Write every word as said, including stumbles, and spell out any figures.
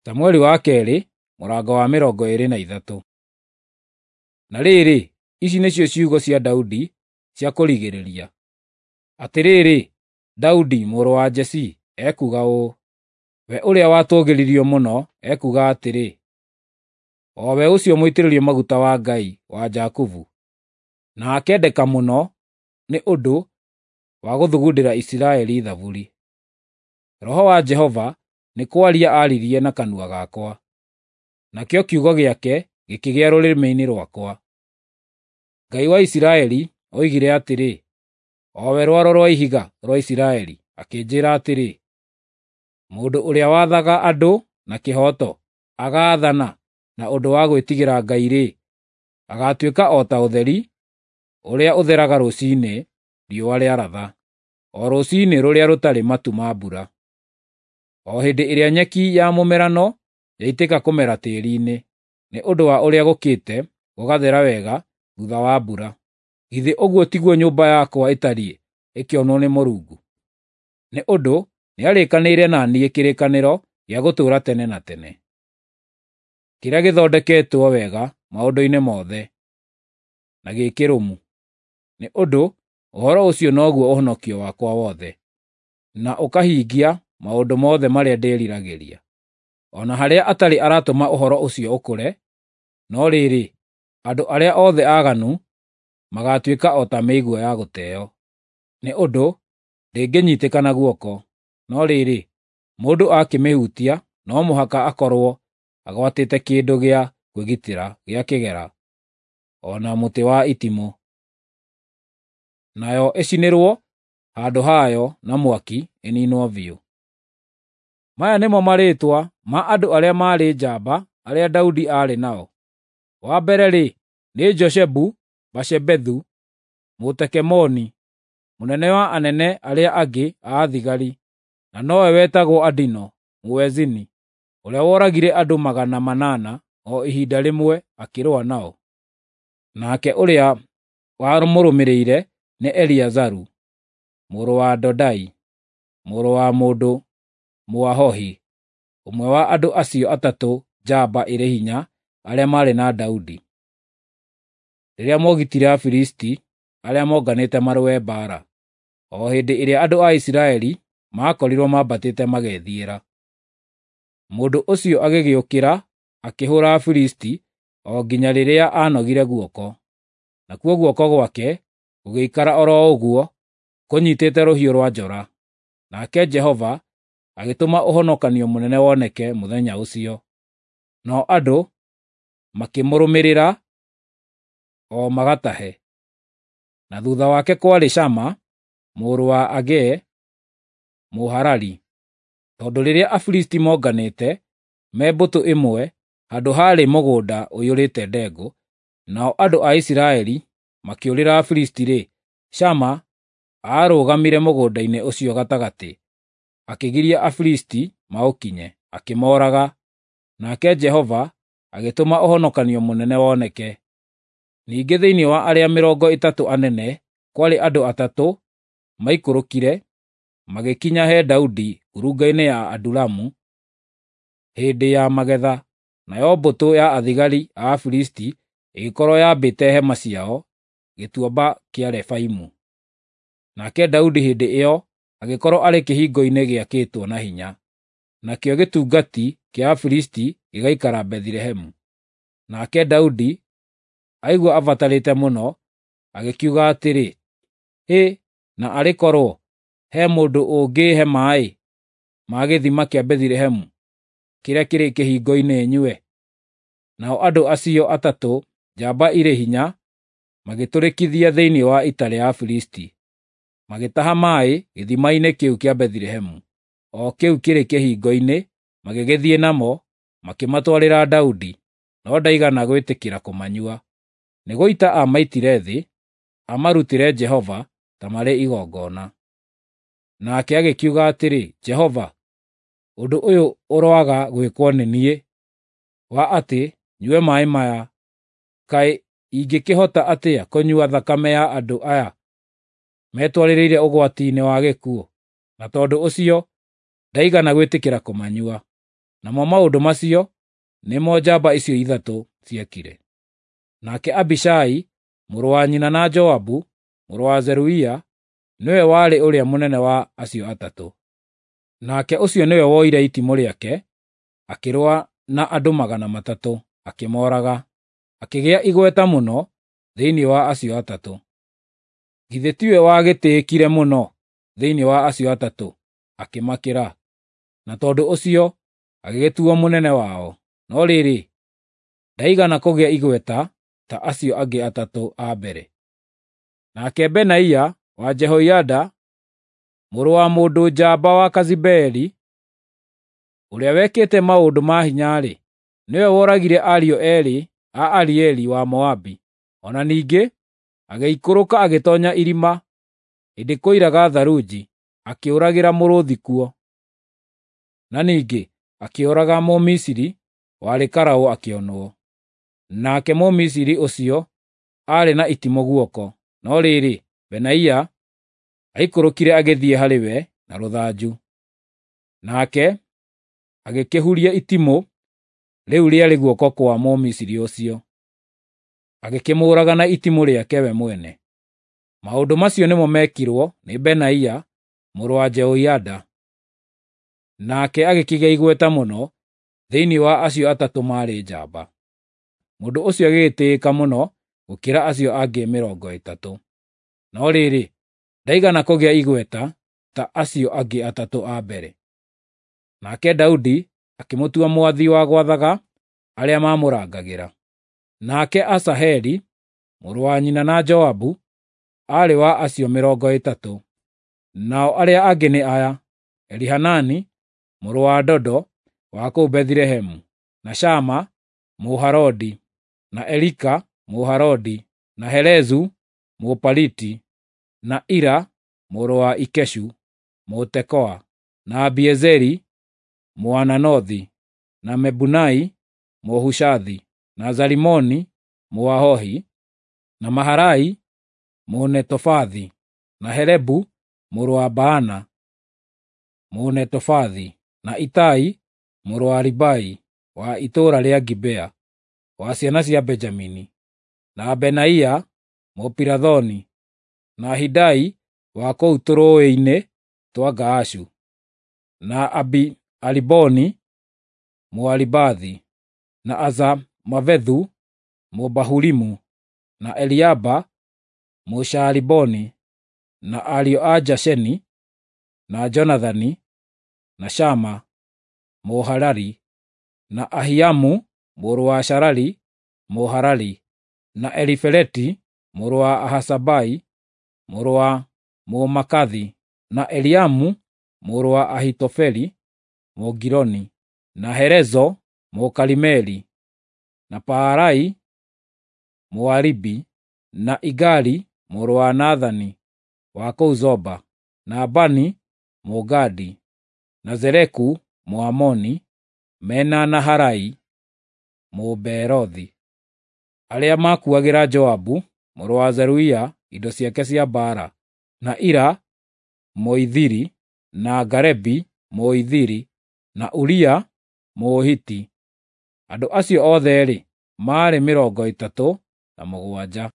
Samueli wa kerĩ mũrango wa mĩrongo ĩĩrĩ na ithatũ. Na rĩrĩ, ici nĩcio ciugo cia Daudi cia kũrigĩrĩria: Atĩrĩrĩ, Daudi mũrũ wa Jesii ekuuga ũũ, we ũrĩa watũũgĩririo mũno ekuuga atĩrĩ, o we ũcio mũitĩrĩrio maguta wa Ngai wa Jakubu, na akendeka mũno nĩ ũndũ wa gũthugundĩra Isiraeli thaburi. Roho wa Jehova nĩ kwaria aaririe na kanua gakwa, nakĩo kiugo gĩake gĩkĩgĩa rũrĩmĩ-inĩ rwakwa. Ngai wa Isiraeli oigire atĩrĩ, o we rwaro rwa ihiga rwa Isiraeli, akĩnjĩĩra atĩrĩ, mũndũ ũrĩa wathaga andũ na kĩhooto, agaathana na ũndũ wa gwĩtigĩra Ngai-rĩ, agaatuĩka o ta ũtheri ũrĩa ũtheraga rũciinĩ riũa rĩaratha, o rũciinĩ rũrĩa rũtarĩ matu ma mbura, o hĩndĩ ĩrĩa nyeki ya mũmerano yaitĩka kũmera tĩĩri-inĩ, nĩ ũndũ wa ũrĩa gũkĩte gũgathera wega thuutha wa mbura. Githĩ ũguo tiguo nyũmba yakwa ĩtariĩ ĩkĩonwo nĩ Mũrungu? Nĩ ũndũ nĩarĩkanĩire na niĩ kĩrĩkanĩro gĩa gũtũũra tene na tene, kĩrĩa gĩthondeketwo wega maũndũ-inĩ mothe, na gĩ kĩrũmu. Nĩ ũndũ ũhoro ũcio noguo ũhonokio wakwa wothe, na ũkahingia maũndũ mothe marĩa ndĩriragĩria. O na harĩa atarĩ aratũma ũhoro ũcio ũkũre, no rĩrĩ, andũ arĩa othe aaganu magaatuĩka o ta mĩigua ya gũteo, nĩ ũndũ ndĩngĩnyiitĩka na guoko. No rĩrĩ, mũndũ akĩmĩhutia no mũhaka akorwo agwatĩte kĩndũ gĩa kwĩgitĩra gĩa kĩgera, o na mũtĩ wa itimũ, nayo ĩcinĩrwo handũ hayo na mwaki ĩniinwo biũ. Maya nĩmo marĩĩtwa ma andũ arĩa maarĩ njamba arĩa Daudi aarĩ nao: Wa mbere-rĩ, nĩ Joshebu-Bashebethu Mũtekemoni, mũnene wa anene arĩa angĩ a thigari, na nowe wetagwo Adino Mũezini, ũrĩa woragire andũ magana manana o ihinda rĩmwe akĩrũa nao. Nake ũrĩa wamũrũmĩrĩire nĩ Eleazaru mũrũ wa Dodai, mũrũ wa mũndũ Mũahohi, ũmwe wa andũ acio atatũ njamba ĩrĩ hinya arĩa maarĩ na Daudi, rĩrĩa moogitire Afilisti arĩa monganĩte marũe mbaara, o hĩndĩ ĩrĩa andũ a Isiraeli maakorirwo mambatĩte magethiĩra. Mũndũ ũcio agĩgĩũkĩra akĩhũũra Afilisti o nginya rĩrĩa aanogire guoko, nakuo guoko gwake gũgĩikara o ro ũguo kũnyiitĩte rũhiũ rwa njora. Nake Jehova agĩtũma ũhonokanio mũnene woneke mũthenya ũcio, nao andũ makĩmũrũmĩrĩra o magatahe. Na thuutha wake kwarĩ Shama mũrũ wa Agee Mũharari, tondũ rĩrĩa Afilisti monganĩte me mbũtũ ĩmwe handũ haarĩ mũgũnda ũiyũrĩte ndengũ, nao andũ a Isiraeli makĩũrĩra Afilisti-rĩ, Shama aarũgamire mũgũnda-inĩ ũcio gatagatĩ, akĩgiria Afilisti maũkinye, akĩmooraga. Nake Jehova agĩtũma ũhonokanio mũnene woneke. Ningĩ thĩinĩ wa arĩa mĩrongo ĩtatũ anene kwarĩ andũ atatũ maikũrũkire magĩkinya he Daudi ngurunga-inĩ ya Adulamu hĩndĩ ya magetha, nayo mbũtũ ya athigari a Afilisti ĩgĩkorwo yambĩte hema ciao gĩtuamba kĩa Refaimu. Nake Daudi hĩndĩ ĩyo agĩkorwo arĩ kĩhingo-inĩ gĩakĩtwo na hinya, nakĩo gĩtungati kĩa Afilisti gĩgaikara Bethilehemu. Nake Daudi aigua abatarĩte mũno, agĩkiuga atĩrĩ, “Hĩ, na arĩ korwo he mũndũ ũngĩĩhe maaĩ ma gĩthima kĩa Bethilehemu kĩrĩa kĩrĩ kĩhingo-inĩ nyue!” Nao andũ acio atatũ njamba irĩ hinya magĩtũrĩkithia thĩinĩ wa ita rĩa Afilisti, magĩtaha maaĩ gĩthima-inĩ kĩu kĩa Bethilehemu, o kĩu kĩrĩ kĩhingo-inĩ, magĩgĩthiĩ namo, makĩmatwarĩra Daudi, no ndaigana gwĩtĩkĩra kũmanyua. Nĩ gũita aamaitire thĩ, amarutĩre Jehova ta marĩ igongona. Nake agĩkiuga atĩrĩ, “Jehova, ũndũ ũyũ ũroaga gwĩkwo nĩ niĩ, wa atĩ nyue maaĩ maya! Kaĩ ingĩkĩhota atĩa kũnyua thakame ya andũ aya metwarĩrĩire ũgwati-inĩ wa gĩkuũ?” Na tondũ ũcio ndaigana gwĩtĩkĩra kũmanyua. Namo maũndũ macio nĩmo njamba icio ithatũ ciekire. Nake Abishai mũrũ wa nyina na Joabu mũrũ wa Zeruia nĩwe warĩ ũrĩa mũnene wa acio atatũ. Nake ũcio nĩwe woire itimũ rĩake, akĩrũa na andũ magana matatũ, akĩmooraga, akĩgĩa igweta mũno thĩinĩ wa acio atatũ. Githĩ tiwe wagĩtĩĩkire mũno thĩinĩ wa acio atatũ, akĩmakĩra, na tondũ ũcio agĩgĩtuo mũnene wao. No rĩrĩ, ndaigana kũgĩa igweta ta acio angĩ atatũ a mbere. Nake Benaia wa Jehoiada, mũrũ wa mũndũ njamba wa Kazibeli, ũrĩa wekĩte maũndũ ma hinya-rĩ, nĩwe woragire ariũ eerĩ a Arieli wa Moabi. O na ningĩ agĩikũrũka agĩtoonya irima hĩndĩ kwoiraga tharunji, akĩũragĩra mũrũũthi kuo. Na ningĩ akĩũraga Mũmisiri warĩ karaũ akĩonwo. Nake Mũmisiri ũcio aarĩ na itimũ guoko, no rĩrĩ, Benaia aikũrũkire agĩthiĩ harĩ we na rũthanju. Nake agĩkĩhuria itimũ rĩu rĩarĩ guoko kwa Mũmisiri ũcio, agĩkĩmũũraga na itimũ rĩake we mwene. Maũndũ macio nĩmo meekirwo nĩ Benaia mũrũ wa Jehoiada. Nake agĩkĩgĩa igweta mũno thĩinĩ wa acio atatũ maarĩ njamba. Mũndũ ũcio agĩgĩtĩĩka mũno gũkĩra acio angĩ mĩrongo ĩtatũ. No rĩrĩ, ndaigana kũgĩa igweta ta acio angĩ atatũ a mbere. Nake Daudi akĩmũtua mwathi wa gwathaga arĩa maamũrangagĩra. Nake Asaheli mũrũ wa nyina na Joabu aarĩ wa acio mĩrongo ĩtatũ. Nao arĩa angĩ nĩ aya: Elihanani mũrũ wa Dodo wa kũu Bethilehemu, na Shama Mũharodi, na Elika Mũharodi, na Helezu Mũpaliti, na Ira mũrũ wa Ikeshu Mũtekoa, na Abiezeri Mũananothi, na Mebunai Mũhushathi, na Zalimoni Mũahohi, na Maharai Mũnetofathi, na Helebu mũrũ wa Baana Mũnetofathi, na Itai mũrũ wa Ribai wa itũũra rĩa Gibea, wa ciana cia Benjamini, na Benaia Mũpirathoni, na Hidai wa kũu tũrũũĩ-inĩ twa Gaashu, na Abi-Aliboni Mũaribathi, na Azamavethu Mũbahurimu, na Eliaba Mũshaaliboni, na ariũ a Jasheni, na Jonathani, na Shama Mũharari, na Ahiamu mũrũ wa Sharari Mũharari, na Elifeleti mũrũ wa Ahasabai mũrũ wa Mũmaakathi, na Eliamu mũrũ wa Ahitofeli Mũgiloni, na Helezo Mũkarimeli, na Paarai Mũaribi, na Igali mũrũ wa Nathani wa kũu Zoba, na Bani Mũgadi, na Zeleku Mũamoni, mena Naharai Mũbeerothi, arĩa maakuuagĩra Joabu mũrũ wa Zeruia indo ciake cia mbaara, na Ira Mũithiri, na Garebi Mũithiri, na Uria Mũhiti. Andũ acio othe-rĩ, maarĩ mĩrongo ĩtatũ na mũgwanja.